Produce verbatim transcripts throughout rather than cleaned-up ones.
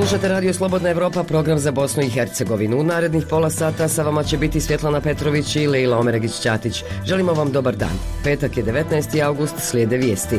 Slušate Radio Slobodna Evropa, program za Bosnu i Hercegovinu. U narednih pola sata sa vama će biti Svjetlana Petrović i Leila Omeregić-Ćatić. Želimo vam dobar dan. Petak je devetnaesti august, slijede vijesti.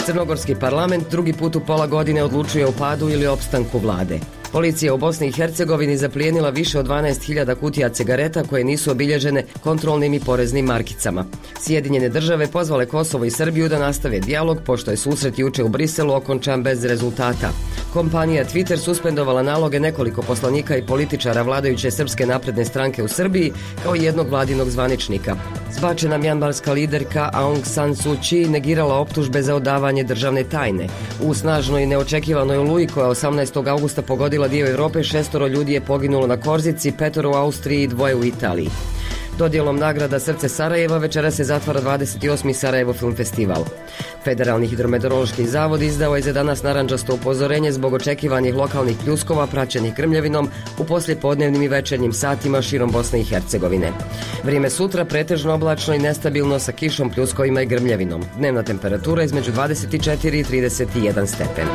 Crnogorski parlament drugi put u pola godine odlučuje o padu ili opstanku vlade. Policija u Bosni i Hercegovini zaplijenila više od dvanaest hiljada kutija cigareta koje nisu obilježene kontrolnim i poreznim markicama. Sjedinjene države pozvale Kosovo i Srbiju da nastave dijalog, pošto je susret juče u Briselu okončan bez rezultata. Kompanija Twitter suspendovala naloge nekoliko poslanika i političara vladajuće Srpske napredne stranke u Srbiji, kao i jednog vladinog zvaničnika. Zbačena mjanmarska liderka Aung San Suu Kyi negirala optužbe za odavanje državne tajne. U snažnoj i neočekivanoj oluji koja osamnaestog augusta pogodila dio Europe, šestoro ljudi je poginulo na Korzici, petoro u Austriji i dvoje u Italiji. Dodjelom nagrada Srce Sarajeva večera se zatvara dvadeset osmi Sarajevo Film Festival. Federalni hidrometeorološki zavod izdao je za danas narandžasto upozorenje zbog očekivanih lokalnih pljuskova praćenih grmljavinom u poslijepodnevnim i večernjim satima širom Bosne i Hercegovine. Vrijeme sutra pretežno oblačno i nestabilno sa kišom, pljuskovima i grmljavinom. Dnevna temperatura između dvadeset četiri i trideset jedan stepen.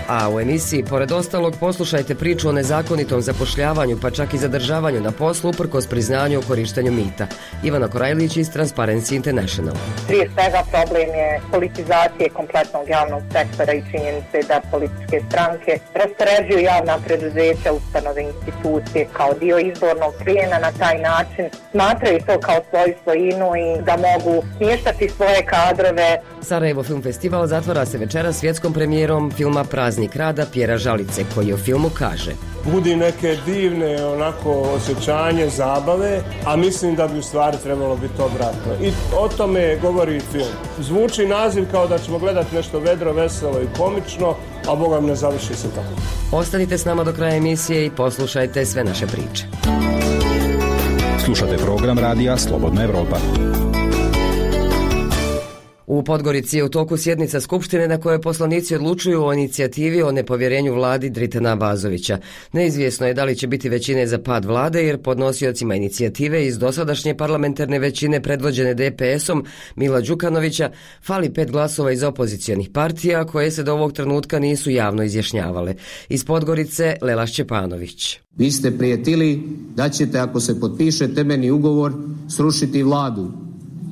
A u emisiji, pored ostalog, poslušajte priču o nezakonitom zapošljavanju, pa čak i zadržavanju na poslu uprkos priznanju o korištenju mita. Ivana Korajlić iz Transparency International. Prije svega problem je politizacije kompletnog javnog sektora i činjenice da političke stranke raspoređuju javna preduzeća, ustanove, institucije kao dio izbornog plijena. Na taj način smatraju to kao svoju svojinu i da mogu smještati svoje kadrove. Sarajevo Film Festival zatvara se večera svjetskom premijerom filma Praznik rada Pjera Žalice, koji o filmu kaže: budi neke divne onako osjećanje, zabave, a mislim da bi u stvari trebalo biti obratno. I o tome govori film. Zvuči naziv kao da ćemo gledati nešto vedro, veselo i komično, a Boga mi ne završi se tako. Ostanite s nama do kraja emisije i poslušajte sve naše priče. Slušate program radija Slobodna Evropa. U Podgorici je u toku sjednica Skupštine na kojoj poslanici odlučuju o inicijativi o nepovjerenju vladi Dritana Abazovića. Neizvjesno je da li će biti većine za pad vlade, jer podnosiocima inicijative iz dosadašnje parlamentarne većine predvođene D P S-om Mila Đukanovića fali pet glasova iz opozicionih partija koje se do ovog trenutka nisu javno izjašnjavale. Iz Podgorice Lela Šćepanović. Vi ste prijetili da ćete, ako se potpiše temeljni ugovor, srušiti vladu.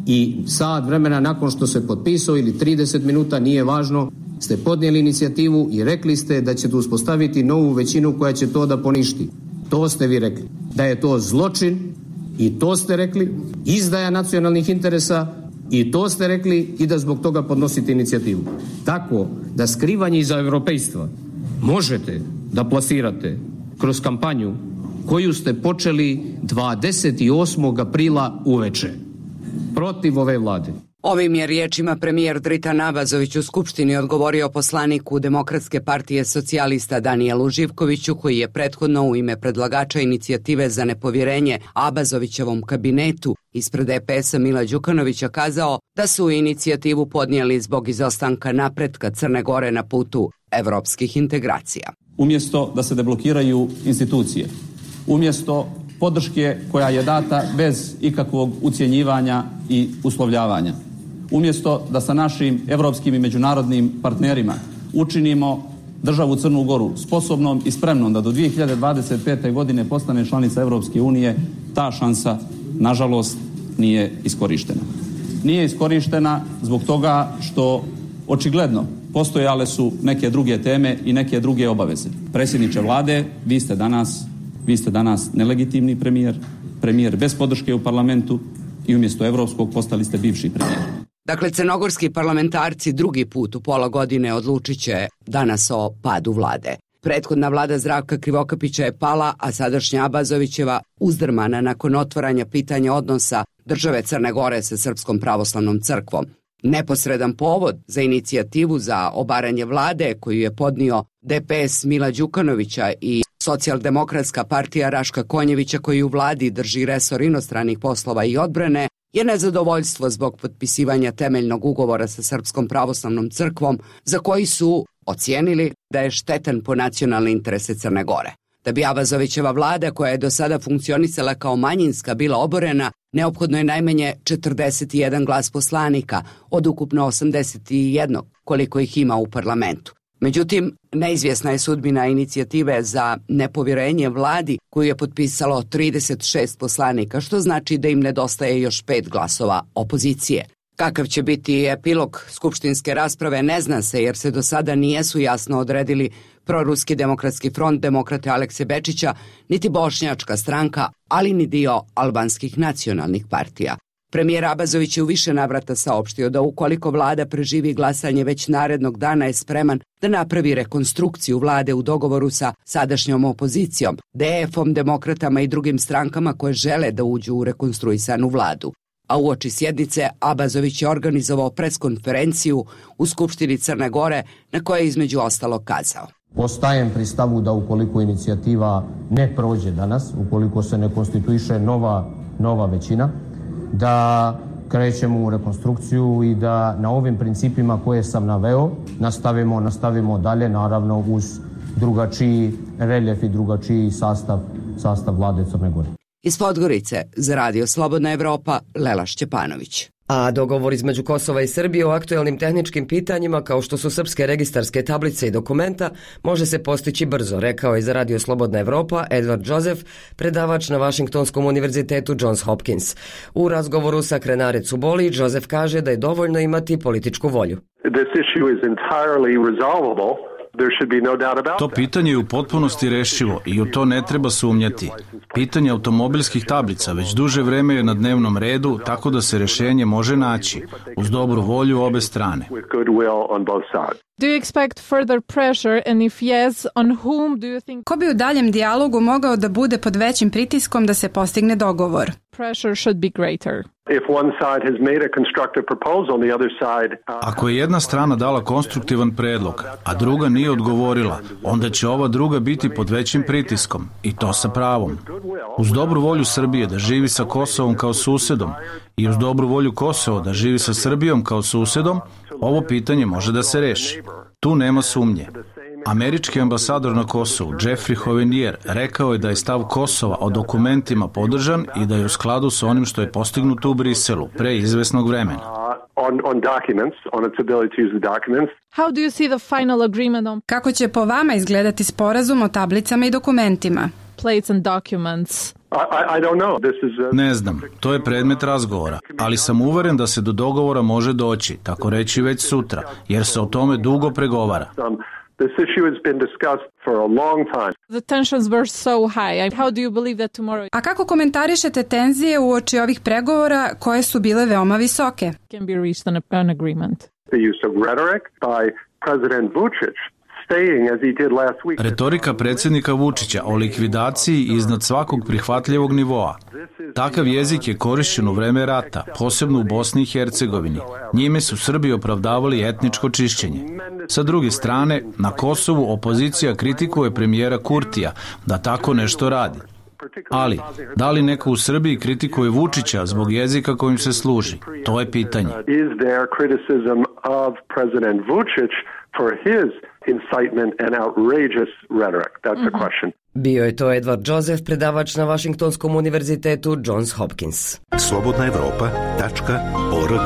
I sat vremena nakon što se potpisao ili trideset minuta, nije važno, ste podnijeli inicijativu i rekli ste da ćete uspostaviti novu većinu koja će to da poništi. To ste vi rekli. Da je to zločin i to ste rekli, izdaja nacionalnih interesa i to ste rekli i da zbog toga podnosite inicijativu. Tako da skrivanje iza europejstva možete da plasirate kroz kampanju koju ste počeli dvadeset osmog aprila uveče. Protiv ove vlade. Ovim je riječima premijer Dritan Abazović u Skupštini odgovorio poslaniku Demokratske partije socijalista Danijelu Živkoviću, koji je prethodno u ime predlagača inicijative za nepovjerenje Abazovićevom kabinetu ispred D P S-a Mila Đukanovića kazao da su inicijativu podnijeli zbog izostanka napretka Crne Gore na putu evropskih integracija. Umjesto da se deblokiraju institucije, umjesto podrške koja je data bez ikakvog ucjenjivanja i uslovljavanja. Umjesto da sa našim evropskim i međunarodnim partnerima učinimo državu Crnu Goru sposobnom i spremnom da do dvije hiljade dvadeset pete. godine postane članica Evropske unije, ta šansa, nažalost, nije iskorištena. Nije iskorištena zbog toga što očigledno postojale su neke druge teme i neke druge obaveze. Predsjedniče vlade, vi ste danas Vi ste danas nelegitimni premijer, premijer bez podrške u parlamentu i umjesto evropskog postali ste bivši premijer. Dakle, crnogorski parlamentarci drugi put u pola godine odlučit će danas o padu vlade. Prethodna vlada Zdravka Krivokapića je pala, a sadašnja Abazovićeva uzdrmana nakon otvaranja pitanja odnosa države Crne Gore sa Srpskom pravoslavnom crkvom. Neposredan povod za inicijativu za obaranje vlade koju je podnio D P S Mila Đukanovića i Socijaldemokratska partija Raška Konjevića, koji u vladi drži resor inostranih poslova i odbrane, je nezadovoljstvo zbog potpisivanja temeljnog ugovora sa Srpskom pravoslavnom crkvom, za koji su ocijenili da je štetan po nacionalne interese Crne Gore. Da bi Abazovićeva vlada, koja je do sada funkcionisala kao manjinska, bila oborena, neophodno je najmanje četrdeset jedan glas poslanika od ukupno osamdeset jedan koliko ih ima u parlamentu. Međutim, neizvjesna je sudbina inicijative za nepovjerenje vladi koju je potpisalo trideset šest poslanika, što znači da im nedostaje još pet glasova opozicije. Kakav će biti epilog skupštinske rasprave ne zna se, jer se do sada nijesu jasno odredili Proruski demokratski front demokrate Alekse Bečića, niti Bošnjačka stranka, ali ni dio albanskih nacionalnih partija. Premijer Abazović je u više navrata saopštio da ukoliko vlada preživi glasanje već narednog dana je spreman da napravi rekonstrukciju vlade u dogovoru sa sadašnjom opozicijom, D F-om, demokratama i drugim strankama koje žele da uđu u rekonstruisanu vladu. A uoči sjednice Abazović je organizovao preskonferenciju u Skupštini Crne Gore na kojoj je između ostalog kazao: Ostajem pri stavu da ukoliko inicijativa ne prođe danas, ukoliko se ne konstituiše nova, nova većina, da krećemo u rekonstrukciju i da na ovim principima koje sam naveo nastavimo, nastavimo dalje, naravno uz drugačiji reljef i drugačiji sastav, sastav vlade Crne Gore. Iz Podgorice za Radio Slobodna Evropa, Lela Šćepanović. A dogovor između Kosova i Srbije o aktuelnim tehničkim pitanjima kao što su srpske registarske tablice i dokumenta može se postići brzo, rekao je za Radio Slobodna Evropa Edward Joseph, predavač na Vašingtonskom univerzitetu Johns Hopkins. U razgovoru sa Krenare Cuboli, Joseph kaže da je dovoljno imati političku volju. This issue is entirely resolvable. To pitanje je u potpunosti rešivo i u to ne treba sumnjati. Pitanje automobilskih tablica već duže vreme je na dnevnom redu, tako da se rješenje može naći uz dobru volju obe strane. Do you expect further pressure, and if yes, on whom do you think? Ko bi u daljem dijalogu mogao da bude pod većim pritiskom da se postigne dogovor? Pressure should be greater. If one side has made a constructive proposal, the other side. Ako je jedna strana dala konstruktivan predlog, a druga nije odgovorila, onda će ova druga biti pod većim pritiskom, i to sa pravom. Uz dobru volju Srbije da živi sa Kosovom kao susedom i uz dobru volju Kosova da živi sa Srbijom kao susedom, ovo pitanje može da se reši. Tu nema sumnje. Američki ambasador na Kosovu, Jeffrey Hovenier, rekao je da je stav Kosova o dokumentima podržan i da je u skladu sa onim što je postignuto u Briselu pre izvesnog vremena. How do you see the final agreement on? Kako će po vama izgledati sporazum o tablicama i dokumentima? Plates and documents. Ne znam, to je predmet razgovora, ali sam uveren da se do dogovora može doći, tako reći već sutra, jer se o tome dugo pregovara. This issue has been discussed for a long time. The tensions were so high. How do you believe that tomorrow? A kako komentarišete tenzije uoči ovih pregovora koje su bile veoma visoke? Can be reached an, an agreement. The use of rhetoric by President Vučić. Retorika predsjednika Vučića o likvidaciji iznad svakog prihvatljivog nivoa. Takav jezik je korišćen u vreme rata, posebno u Bosni i Hercegovini. Njime su Srbi opravdavali etničko čišćenje. Sa druge strane, na Kosovu opozicija kritikuje premijera Kurtija da tako nešto radi. Ali, da li neko u Srbiji kritikuje Vučića zbog jezika kojim se služi? To je pitanje. For his incitement and outrageous rhetoric. That's the question. Bio je to Edward Joseph, predavač na Vašingtonskom univerzitetu Johns Hopkins. slobodna evropa tačka org.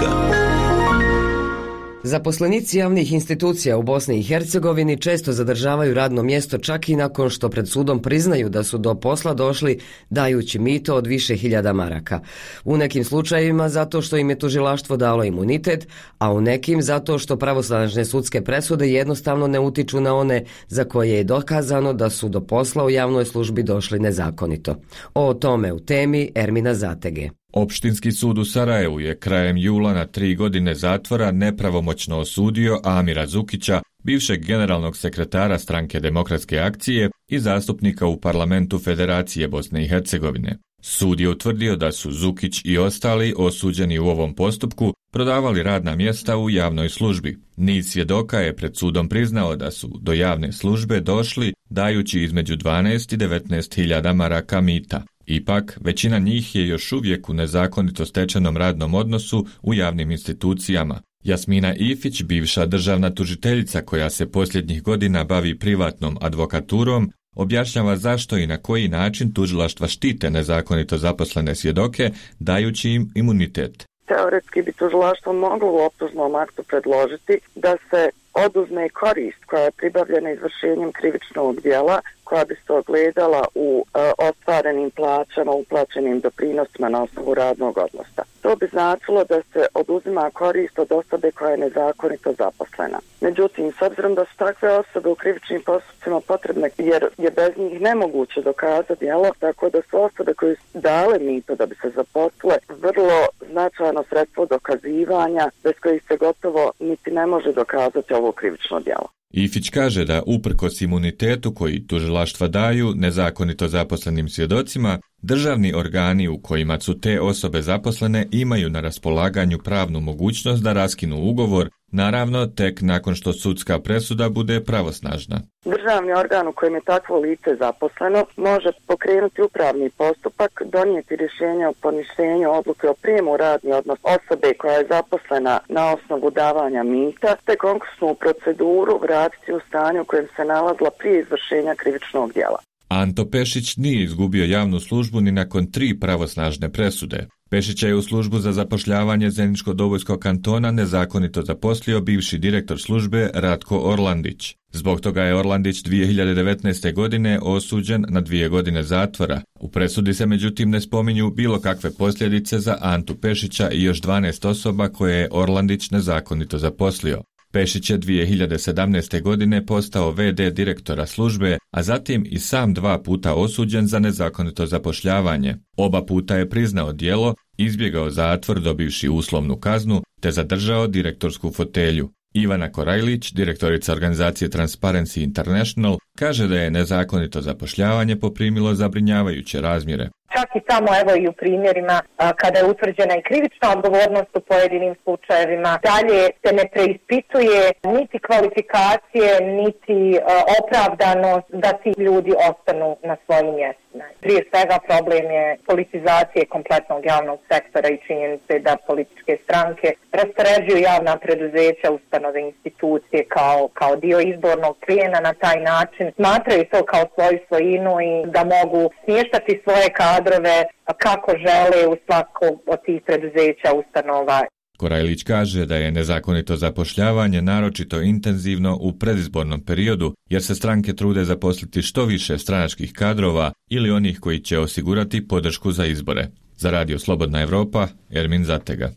Zaposlenici javnih institucija u Bosni i Hercegovini često zadržavaju radno mjesto čak i nakon što pred sudom priznaju da su do posla došli dajući mito od više hiljada maraka. U nekim slučajevima zato što im je tužilaštvo dalo imunitet, a u nekim zato što pravosnažne sudske presude jednostavno ne utiču na one za koje je dokazano da su do posla u javnoj službi došli nezakonito. O tome u temi Ermina Zatege. Opštinski sud u Sarajevu je krajem jula na tri godine zatvora nepravomoćno osudio Amira Zukića, bivšeg generalnog sekretara Stranke demokratske akcije i zastupnika u parlamentu Federacije Bosne i Hercegovine. Sud je utvrdio da su Zukić i ostali osuđeni u ovom postupku prodavali radna mjesta u javnoj službi. Niz svjedoka je pred sudom priznao da su do javne službe došli dajući između dvanaest i devetnaest hiljada maraka mita. Ipak, većina njih je još uvijek u nezakonito stečenom radnom odnosu u javnim institucijama. Jasmina Ifić, bivša državna tužiteljica koja se posljednjih godina bavi privatnom advokaturom, objašnjava zašto i na koji način tužilaštva štite nezakonito zaposlene svjedoke, dajući im imunitet. Teoretski bi tužilaštvo moglo u optužnom aktu predložiti da se oduzme korist koja je pribavljena izvršenjem krivičnog djela, koja bi se ogledala u e, ostvarenim plaćama, uplaćenim doprinosima na osnovu radnog odnosa. To bi značilo da se oduzima korist od osobe koja je nezakonito zaposlena. Međutim, s obzirom da su takve osobe u krivičnim postupcima potrebne, jer je bez njih nemoguće dokazati djelo, tako da su osobe koje su dale mito da bi se zaposlile vrlo značajno sredstvo dokazivanja, bez kojih se gotovo niti ne može dokazati ovo krivično djelo. Ifić kaže da uprkos imunitetu koji tužilaštva daju nezakonito zaposlenim svjedocima, državni organi u kojima su te osobe zaposlene imaju na raspolaganju pravnu mogućnost da raskinu ugovor, naravno tek nakon što sudska presuda bude pravosnažna. Državni organ u kojem je takvo lice zaposleno može pokrenuti upravni postupak, donijeti rješenje o poništenju odluke o prijemu u radni odnos osobe koja je zaposlena na osnovu davanja mita, te konkursnu proceduru vratiti u stanje u kojem se nalazila prije izvršenja krivičnog djela. Anto Pešić nije izgubio javnu službu ni nakon tri pravosnažne presude. Pešića je u službu za zapošljavanje Zeničko-Dobojskog kantona nezakonito zaposlio bivši direktor službe Ratko Orlandić. Zbog toga je Orlandić dvije hiljade devetnaeste. godine osuđen na dvije godine zatvora. U presudi se međutim ne spominju bilo kakve posljedice za Antu Pešića i još dvanaest osoba koje je Orlandić nezakonito zaposlio. Pešić je dvije hiljade sedamnaeste. godine postao ve de direktora službe, a zatim i sam dva puta osuđen za nezakonito zapošljavanje. Oba puta je priznao djelo, izbjegao zatvor dobivši uslovnu kaznu, te zadržao direktorsku fotelju. Ivana Korajlić, direktorica organizacije Transparency International, kaže da je nezakonito zapošljavanje poprimilo zabrinjavajuće razmjere. Čak i samo evo i u primjerima a, kada je utvrđena i krivična odgovornost u pojedinim slučajevima, dalje se ne preispituje niti kvalifikacije, niti a, opravdanost da ti ljudi ostanu na svojim mjestima. Prije svega problem je politizacije kompletnog javnog sektora i činjenice da političke stranke raspoređuju javna preduzeća, ustanove, institucije kao, kao dio izbornog plijena na taj način. Smatraju to kao svoju svojinu i da mogu smještati svoje kadrove kako žele u svakog od tih preduzeća, ustanova. Korajlić kaže da je nezakonito zapošljavanje naročito intenzivno u predizbornom periodu, jer se stranke trude zaposliti što više stranačkih kadrova ili onih koji će osigurati podršku za izbore. Za Radio Slobodna Evropa, Ermin Zatega.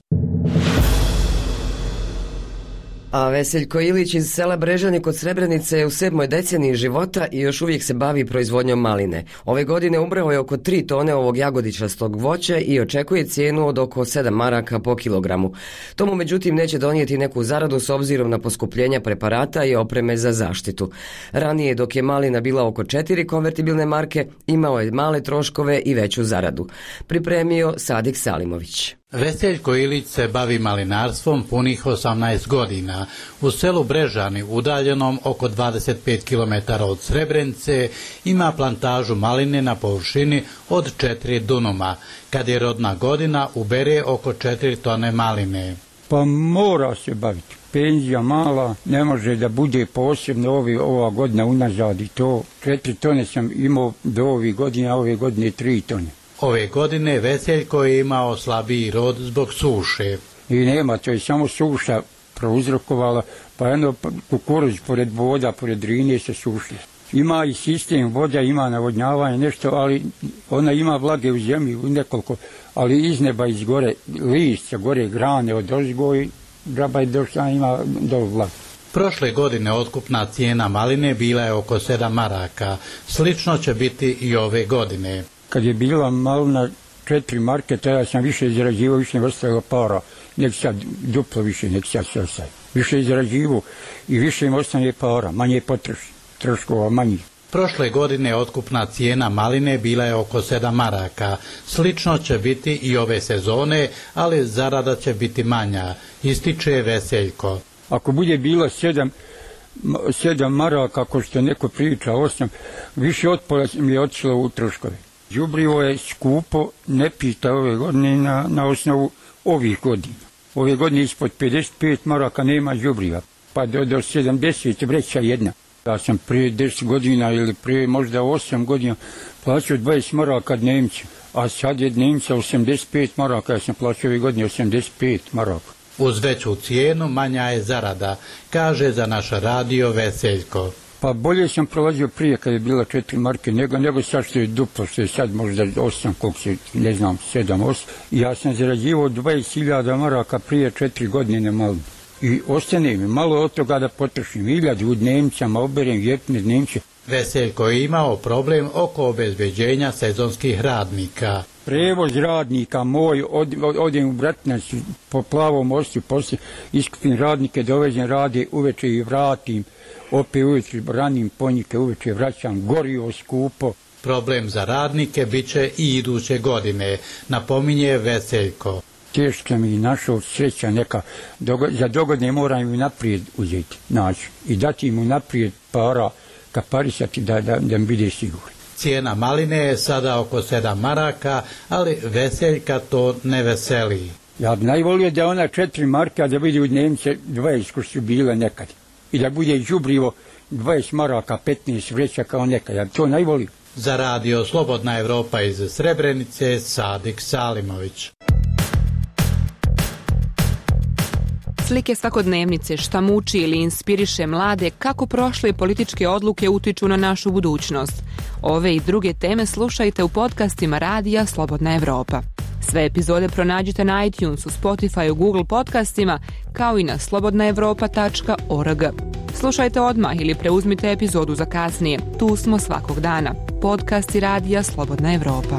A Veseljko Ilić iz sela Brežani kod Srebrenice je u sedmoj deceniji života i još uvijek se bavi proizvodnjom maline. Ove godine ubrao je oko tri tone ovog jagodičastog voća i očekuje cijenu od oko sedam maraka po kilogramu. To mu međutim neće donijeti neku zaradu s obzirom na poskupljenja preparata i opreme za zaštitu. Ranije dok je malina bila oko četiri konvertibilne marke, imao je male troškove i veću zaradu. Pripremio Sadik Salimović. Veseljko Ilić se bavi malinarstvom punih osamnaest godina. U selu Brežani, udaljenom oko dvadeset pet kilometara od Srebrenice, ima plantažu maline na površini od četiri dunuma. Kad je rodna godina, ubere oko četiri tone maline. Pa mora se baviti. Penzija mala, ne može da bude posebno ovi, ova godina unazad i to. Četiri tone sam imao do ovih godina, a ove godine tri tone. Ove godine Veseljko je imao slabiji rod zbog suše. I nema, to je samo suša prouzrokovala, pa jedno kukuruz pored voda, pored Drine se sušila. Ima i sistem voda, ima navodnjavanje, nešto, ali ona ima vlage u zemlji, u nekoliko, ali iz neba, iz gore, list, gore grane od ozgo i graba je došla, ima do vlage. Prošle godine otkupna cijena maline bila je oko sedam maraka, slično će biti i ove godine. Kad je bila malina četiri marke, tada sam više izrađivao, više ne ostalo para. Nek sad duplo više, nek sad sve sad. Više izrađivao i više im ostane para, manje potroši, troškova manji. Prošle godine otkupna cijena maline bila je oko sedam maraka. Slično će biti i ove sezone, ali zarada će biti manja, ističe Veseljko. Ako bude bilo sedam, sedam maraka, ako što neko priča, osam, više od pola mi je otišlo u troškove. Đubrivo je skupo, ne pita ove godine na, na osnovu ovih godina. Ove godine ispod pedeset pet maraka nema đubriva, pa do, do sedamdeset vreća jedna. Ja sam prije deset godina ili prije možda osam godina plaćao dvadeset maraka Nemci, a sad je dnevnica osamdeset pet maraka, ja sam plaćao ove godine osamdeset pet maraka. Uz veću cijenu manja je zarada, kaže za naš radio Veseljko. Pa bolje sam prolazio prije kad je bila četiri marke, nego, nego sad što je duplo, što je sad možda osam, koliko se, ne znam, sedam, osam. Ja sam zarađivao dvadeset hiljada maraka prije četiri godine malo. I ostane mi malo od toga da potrošim hiljadu u dnevnicama, oberem jeftine dnevnice. Veseljko je imao problem oko obezbeđenja sezonskih radnika. Prevoz radnika moj, od, od, odem u Bratinac po Plavom mostu, poslije iskupim radnike, dovezem rade, uveče i vratim, opet uveče ranim ponjike, uveče vraćam, gorivo skupo. Problem za radnike bit će i iduće godine, napominje Veseljko. Teško mi našao sreća neka, dogo, za dogodne moram im naprijed uzeti, naći i dati im naprijed para, kaparisati da, da, da mi bude sigurno. Cijena maline je sada oko sedam maraka, ali Veseljka to ne veseli. Ja bi najvolio da ona četiri marke, a da bude u dnevnice dvadeset ko su bile nekad. I da bude đubrivo dvadeset maraka, petnaest vreća kao nekad. Ja bi to najvolio. Za radio Slobodna Evropa iz Srebrenice, Sadik Salimović. Slike svakodnevnice, šta muči ili inspiriše mlade, kako prošle političke odluke utiču na našu budućnost. Ove i druge teme slušajte u podcastima radija Slobodna Evropa. Sve epizode pronađite na iTunesu, Spotify, Google podcastima, kao i na slobodna evropa tačka org. Slušajte odmah ili preuzmite epizodu za kasnije. Tu smo svakog dana. Podcasti radija Slobodna Evropa.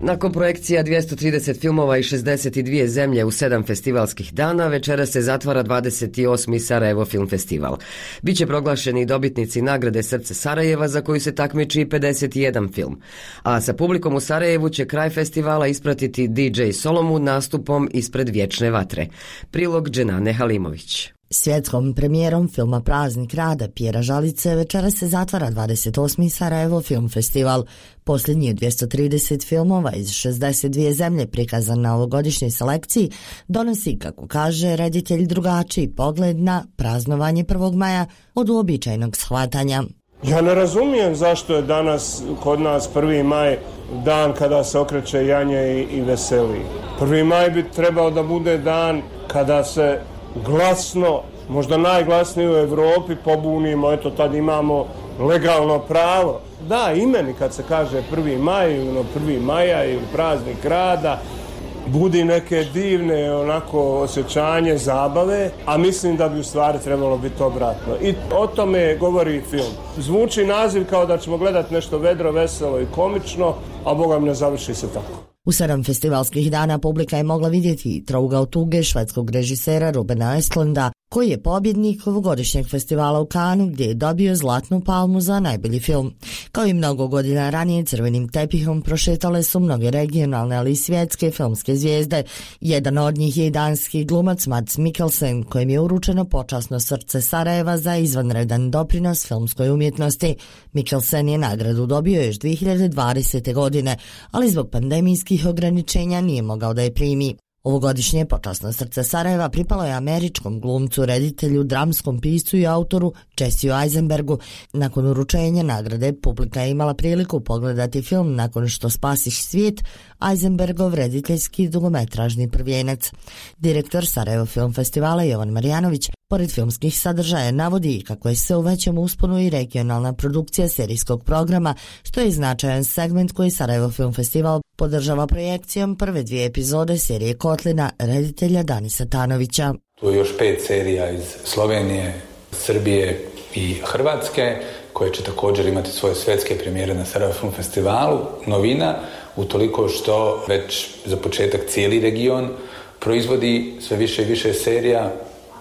Nakon projekcija dvjesto trideset filmova i šezdeset dvije zemlje u sedam festivalskih dana, večeras se zatvara dvadeset osmi Sarajevo Film Festival. Biće proglašeni dobitnici nagrade Srce Sarajeva, za koju se takmiči pedeset jedan film. A sa publikom u Sarajevu će kraj festivala ispratiti D J Solomon nastupom ispred Vječne vatre. Prilog Dženane Halimović. Svjetskom premijerom filma Praznik rada Pjera Žalice večera se zatvara dvadeset osmi Sarajevo Film Festival. Posljednji dvjesto trideset filmova iz šezdeset dvije zemlje prikazan na ovogodišnjoj selekciji donosi, kako kaže reditelj, drugačiji pogled na praznovanje prvog maja od uobičajenog shvatanja. Ja ne razumijem zašto je danas kod nas prvi maj dan kada se okreće janje i, i veseli. prvi maj bi trebao da bude dan kada se glasno, možda najglasnije u Evropi pobunimo, eto tad imamo legalno pravo. Da, imeni kad se kaže prvi maj, ono prvi maja ili praznik rada, budi neke divne onako osjećanje zabave, a mislim da bi u stvari trebalo biti obratno. I o tome govori film. Zvuči naziv kao da ćemo gledati nešto vedro, veselo i komično, a Boga mi ne završi se tako. U sedam festivalskih dana publika je mogla vidjeti Trougao tuge švedskog režisera Rubena Östlunda, koji je pobjednik ovogodišnjeg festivala u Kanu, gdje je dobio Zlatnu palmu za najbolji film. Kao i mnogo godina ranije, crvenim tepihom prošetale su mnoge regionalne, ali i svjetske filmske zvijezde. Jedan od njih je i danski glumac Mads Mikkelsen, kojem je uručeno počasno Srce Sarajeva za izvanredan doprinos filmskoj umjetnosti. Mikkelsen je nagradu dobio još dvije hiljade dvadesete. godine, ali zbog pandemijskih ograničenja nije mogao da je primi. Ovogodišnje počasno Srce Sarajeva pripalo je američkom glumcu, reditelju, dramskom piscu i autoru Jesseu Eisenbergu. Nakon uručenja nagrade publika je imala priliku pogledati film Nakon što spasiš svijet, Eisenbergov rediteljski dugometražni prvijenac. Direktor Sarajevo Film Festivala Jovan Marjanović pored filmskih sadržaja navodi kako je sve u većem usponu i regionalna produkcija serijskog programa, što je značajan segment koji Sarajevo Film Festival podržava projekcijom prve dvije epizode serije Kotlina reditelja Danisa Tanovića. Tu je još pet serija iz Slovenije, Srbije i Hrvatske, koje će također imati svoje svjetske premijere na Sarajevo Film Festivalu. Novina utoliko što već za početak cijeli region proizvodi sve više i više serija.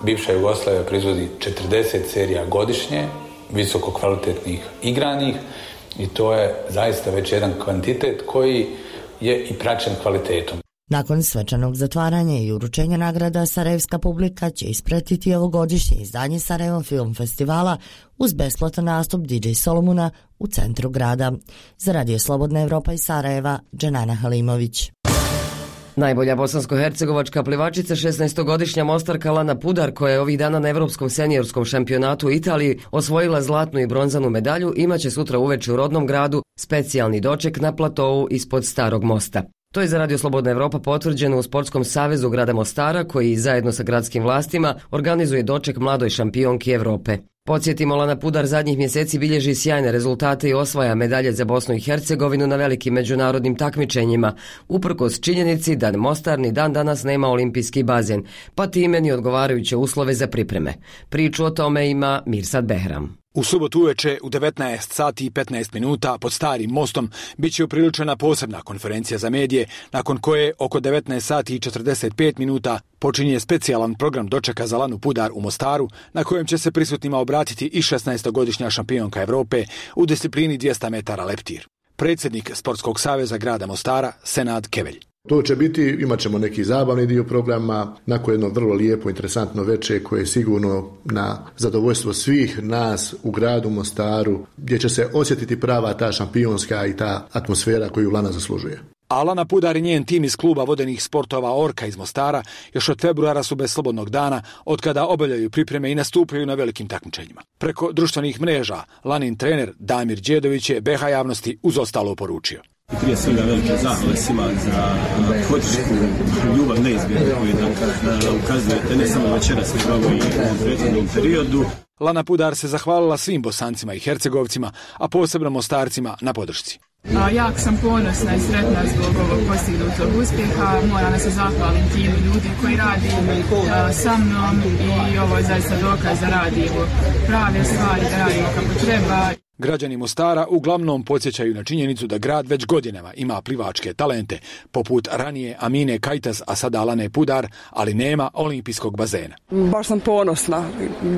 Bivša Jugoslavija proizvodi četrdeset serija godišnje, visoko kvalitetnih igranih, i to je zaista već jedan kvantitet koji je i praćen kvalitetom. Nakon svečanog zatvaranja i uručenja nagrada, sarajevska publika će ispratiti ovogodišnje izdanje Sarajevo Film Festivala uz besplatan nastup D J Solomona u centru grada. Za radio Slobodna Evropa iz Sarajeva, Dženana Halimović. Najbolja bosansko-hercegovačka plivačica, šesnaestogodišnja Mostarka Lana Pudar, koja je ovih dana na Evropskom seniorskom šampionatu u Italiji osvojila zlatnu i bronzanu medalju, imaće sutra uveče u rodnom gradu specijalni doček na platovu ispod Starog mosta. To je za Radio Slobodna Evropa potvrđeno u Sportskom savezu grada Mostara, koji zajedno sa gradskim vlastima organizuje doček mladoj šampionki Evrope. Podsjetimo, Lana Pudar zadnjih mjeseci bilježi sjajne rezultate i osvaja medalje za Bosnu i Hercegovinu na velikim međunarodnim takmičenjima, uprkos činjenici da Mostar ni dan danas nema olimpijski bazen, pa time ni odgovarajuće uslove za pripreme. Priču o tome ima Mirsad Behram. U subotu uveče u devetnaest sati i petnaest minuta pod Starim mostom bit će upriličena posebna konferencija za medije, nakon koje oko devetnaest sati i četrdeset pet minuta počinje specijalan program dočeka za Lanu Pudar u Mostaru, na kojem će se prisutnima obratiti i šesnaestogodišnja šampionka Evrope u disciplini dvjesto metara leptir. Predsjednik Sportskog saveza grada Mostara, Senad Kevelj. To će biti, imat ćemo neki zabavni dio programa, nakon jedno vrlo lijepo, interesantno veče koje je sigurno na zadovoljstvo svih nas u gradu Mostaru, gdje će se osjetiti prava ta šampionska i ta atmosfera koju Lana zaslužuje. A Lana Pudar i njen tim iz kluba vodenih sportova Orka iz Mostara još od februara su bez slobodnog dana, od kada obavljaju pripreme i nastupaju na velikim takmičenjima. Preko društvenih mreža Lanin trener Damir Đedović je B H javnosti uz ostalo poručio. I prije svega velike zahvale svima za podršku, ljubav neizmjernu koju nam ukazujete ne samo večeras, nego i u prethodnom periodu. Lana Pudar se zahvalila svim Bosancima i Hercegovcima, a posebno Mostarcima na podršci. A, jak sam ponosna i sretna zbog ovog postignutog uspjeha. Moram da se zahvalim timu ljudi koji radi a, sa mnom i ovo je zaista dokaz da radimo prave stvari, da radimo kako treba. Građani Mostara uglavnom podsjećaju na činjenicu da grad već godinama ima plivačke talente, poput ranije Amine Kajtas, a sada Lane Pudar, ali nema olimpijskog bazena. Baš sam ponosna.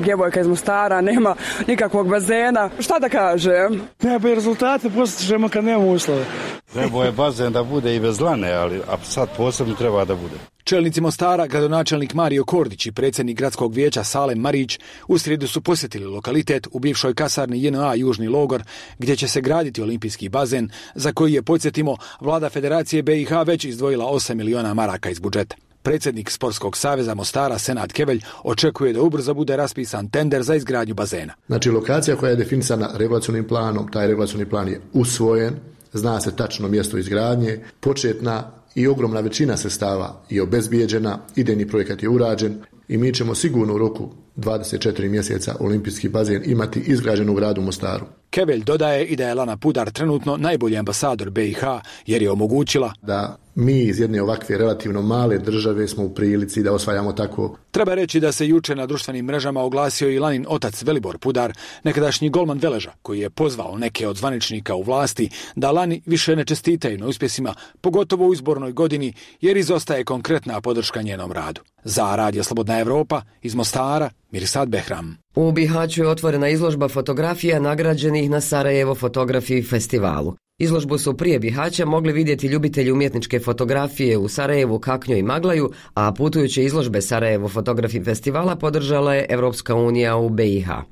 Djevojka iz Mostara, nema nikakvog bazena. Šta da kažem? Ne, pa rezultate postižemo kad nema uslove. Trebao je bazen da bude i bez Lane, ali a sad posebno treba da bude. Čelnici Mostara, gradonačelnik Mario Kordić i predsjednik gradskog vijeća Salem Marić u srijedu su posjetili lokalitet u bivšoj kasarni J N A Južni logor, gdje će se graditi olimpijski bazen, za koji je, podsjetimo, vlada Federacije B i H već izdvojila osam miliona maraka iz budžeta. Predsjednik Sportskog saveza Mostara, Senad Kevelj, očekuje da ubrzo bude raspisan tender za izgradnju bazena. Znači, lokacija koja je definisana regulacionim planom, taj regulacioni plan je usvojen, zna se tačno mjesto izgradnje, početna i ogromna većina sredstava je obezbijeđena, idejni projekat je urađen i mi ćemo sigurno u roku dvadeset četiri mjeseca olimpijski bazen imati izgrađen u gradu Mostaru. Kevelj dodaje i da je Lana Pudar trenutno najbolji ambasador B i H jer je omogućila da mi iz jedne ovakve relativno male države smo u prilici da osvajamo tako. Treba reći da se juče na društvenim mrežama oglasio i Lanin otac Velibor Pudar, nekadašnji golman Veleža, koji je pozvao neke od zvaničnika u vlasti da Lani više ne čestitaju na uspjesima, pogotovo u izbornoj godini, jer izostaje konkretna podrška njenom radu. Za Radio Slobodna Evropa iz Mostara, Mirsad Behram. U Bihaću je otvorena izložba fotografija nagrađenih na Sarajevo fotografiji festivalu. Izložbu su prije Bihaća mogli vidjeti ljubitelji umjetničke fotografije u Sarajevu, Kaknju i Maglaju, a putujuće izložbe Sarajevo Fotografi festivala podržala je Evropska unija u B i H.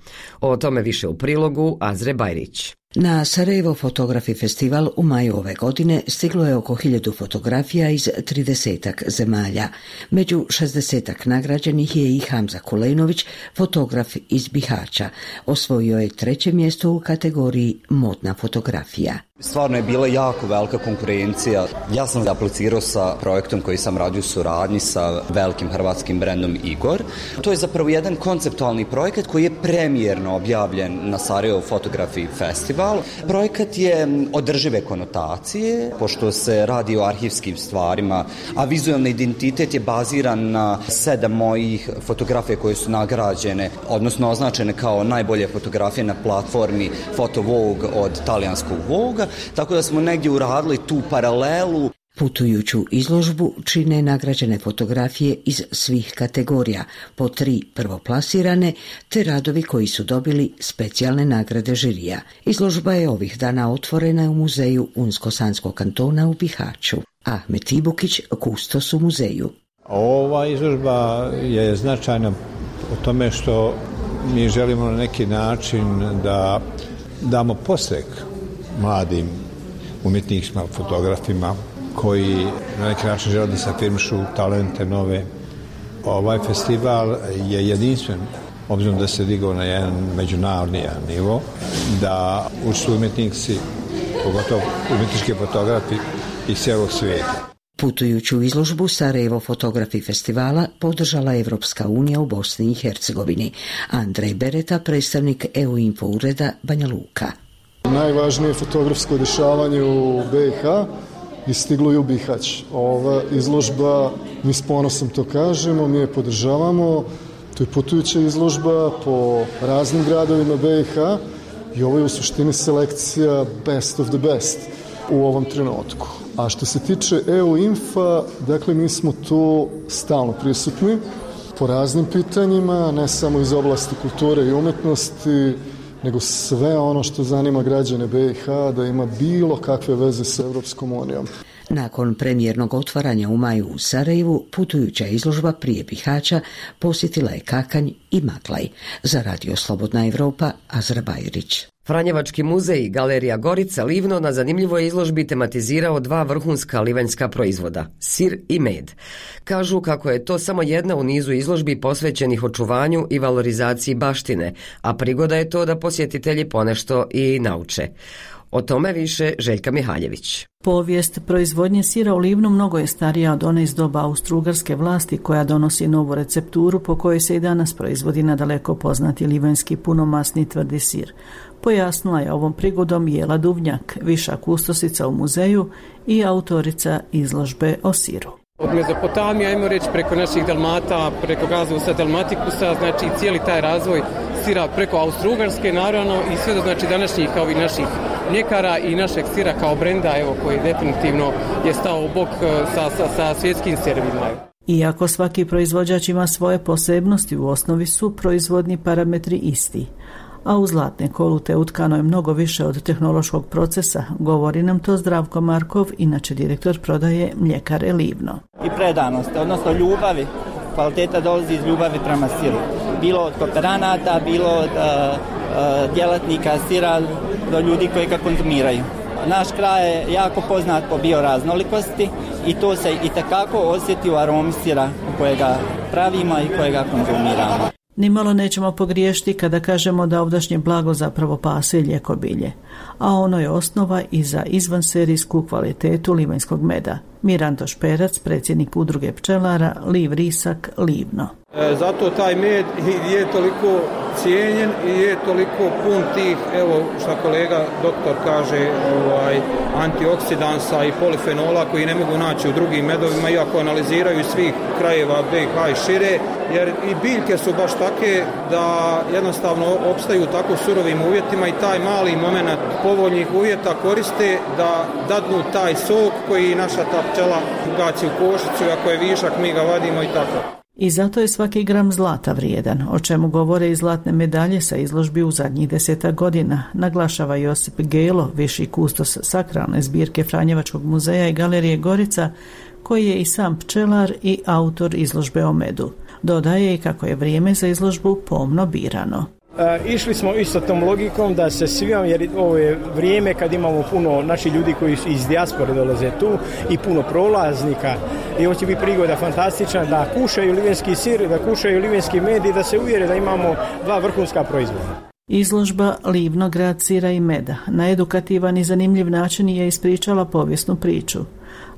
O tome više u prilogu Azre Bajrić. Na Sarajevo Fotografi festival u maju ove godine stiglo je oko hiljadu fotografija iz tridesetak zemalja. Među šezdesetak nagrađenih je i Hamza Kulenović, fotograf iz Bihaća. Osvojio je treće mjesto u kategoriji modna fotografija. Stvarno je bila jako velika konkurencija. Ja sam aplicirao sa projektom koji sam radio u suradnji sa velikim hrvatskim brendom Igor. To je zapravo jedan konceptualni projekat koji je premijerno objavljen na Sarajevo Fotografi festival. Projekat je održive konotacije, pošto se radi o arhivskim stvarima, a vizualni identitet je baziran na sedam mojih fotografija koje su nagrađene, odnosno označene kao najbolje fotografije na platformi Photo Vogue od talijanskog Vogue. Tako da smo negdje uradili tu paralelu. Putujuću izložbu čine nagrađene fotografije iz svih kategorija, po tri prvoplasirane, te radovi koji su dobili specijalne nagrade žirija. Izložba je ovih dana otvorena u muzeju Unsko-Sanskog kantona u Bihaću. Ahmet Ibukić, kustos u muzeju. Ova izložba je značajna u tome što mi želimo na neki način da damo podstrek mladim umjetnicima, fotografima koji na neki način žele da se afirmišu talente nove. Ovaj festival je jedinstven, obzirom da se digao na jedan međunarodni nivo, da učestvuju umjetnici, pogotovo umjetnički fotografi iz cijelog svijeta. Putujuću izložbu Sarajevo fotografi festivala podržala Evropska unija u Bosni i Hercegovini. Andrej Bereta, predstavnik E U Info ureda Banja Luka. Najvažnije fotografsko dešavanje u B i H je stiglo i u Bihać. Ova izložba, mi s ponosom to kažemo, mi je podržavamo. To je putujuća izložba po raznim gradovima B i H i ovo je u suštini selekcija best of the best u ovom trenutku. A što se tiče E U Infa, dakle mi smo tu stalno prisutni po raznim pitanjima, ne samo iz oblasti kulture i umetnosti, nego sve ono što zanima građane B i H da ima bilo kakve veze sa Evropskom unijom. Nakon premijernog otvaranja u maju u Sarajevu, putujuća izložba prije Bihaća posjetila je Kakanj i Maklaj. Za Radio Slobodna Evropa, Azra Bajrić. Franjevački muzej Galerija Gorica Livno na zanimljivoj izložbi tematizirao dva vrhunska livanjska proizvoda, sir i med. Kažu kako je to samo jedna u nizu izložbi posvećenih očuvanju i valorizaciji baštine, a prigoda je to da posjetitelji ponešto i nauče. O tome više Željka Mihaljević. Povijest proizvodnje sira u Livnu mnogo je starija od one iz doba austrougarske vlasti koja donosi novu recepturu po kojoj se i danas proizvodi nadaleko poznati livanjski punomasni tvrdi sir. Pojasnila je ovom prigodom Jela Duvnjak, viša kustosica u muzeju i autorica izložbe o siru. Od Mezopotamije, ajmo reći, preko naših Dalmata, preko Gazusa, Dalmatikusa, znači cijeli taj razvoj sira preko Austrougarske, naravno, i sve do znači današnjih kao i naših mljekara i našeg sira kao brenda, evo, koji definitivno je stao u bok sa, sa, sa svjetskim servima. Iako svaki proizvođač ima svoje posebnosti, u osnovi su proizvodni parametri isti. A u zlatne kolute utkano je mnogo više od tehnološkog procesa, govori nam to Zdravko Markov, inače direktor prodaje mljekare Livno. I predanost, odnosno ljubavi, kvaliteta dolazi iz ljubavi prema siru. Bilo od kooperanata, bilo od uh, uh, djelatnika sira do ljudi koji ga konzumiraju. Naš kraj je jako poznat po bioraznolikosti i to se i takako osjeti u aromi sira kojega pravimo i kojega konzumiramo. Nimalo nećemo pogriješiti kada kažemo da ovdašnje blago zapravo pase ljekobilje, a ono je osnova i za izvanserijsku kvalitetu livanjskog meda. Miranto Šperac, predsjednik udruge pčelara Liv Risak Livno. E, zato taj med je toliko cijenjen i je toliko pun tih, evo što kolega doktor kaže, ovaj, antioksidansa i polifenola koji ne mogu naći u drugim medovima, iako analiziraju iz svih krajeva B i H i šire, jer i biljke su baš take da jednostavno opstaju u tako surovim uvjetima i taj mali moment povoljnih uvjeta koriste da dadnu taj sok koji naša ta pčela ugaci u košicu, ako je višak mi ga vadimo i tako. I zato je svaki gram zlata vrijedan, o čemu govore i zlatne medalje sa izložbi u zadnjih deseta godina, naglašava Josip Gelo, viši kustos sakralne zbirke Franjevačkog muzeja i Galerije Gorica, koji je i sam pčelar i autor izložbe o medu. Dodaje i kako je vrijeme za izložbu pomno birano. E, išli smo isto tom logikom da se svijom, jer ovo je vrijeme kad imamo puno naših ljudi koji iz dijaspore dolaze tu i puno prolaznika i ovo će biti prigoda fantastična da kušaju livanjski sir, da kušaju livanjski med i da se uvjere da imamo dva vrhunska proizvoda. Izložba Livno, grad sira i meda na edukativan i zanimljiv način je ispričala povijesnu priču,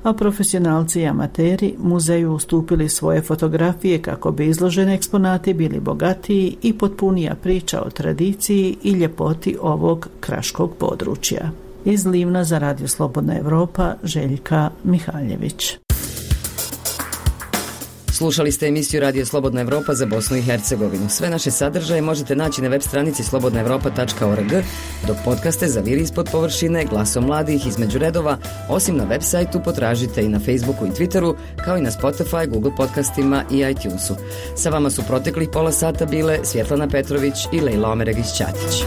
a profesionalci i amateri muzeju ustupili svoje fotografije kako bi izloženi eksponati bili bogatiji i potpunija priča o tradiciji i ljepoti ovog kraškog područja. Iz Livna za Radio Slobodna Evropa, Željka Mihaljević. Slušali ste emisiju Radio Slobodna Evropa za Bosnu i Hercegovinu. Sve naše sadržaje možete naći na web stranici slobodna evropa tačka org, dok podcaste za Viri ispod površine, Glasom mladih, Između redova, osim na web sajtu potražite i na Facebooku i Twitteru, kao i na Spotify, Google podcastima i iTunesu. Sa vama su proteklih pola sata bile Svjetlana Petrović i Lejla Omeregić-Ćatić.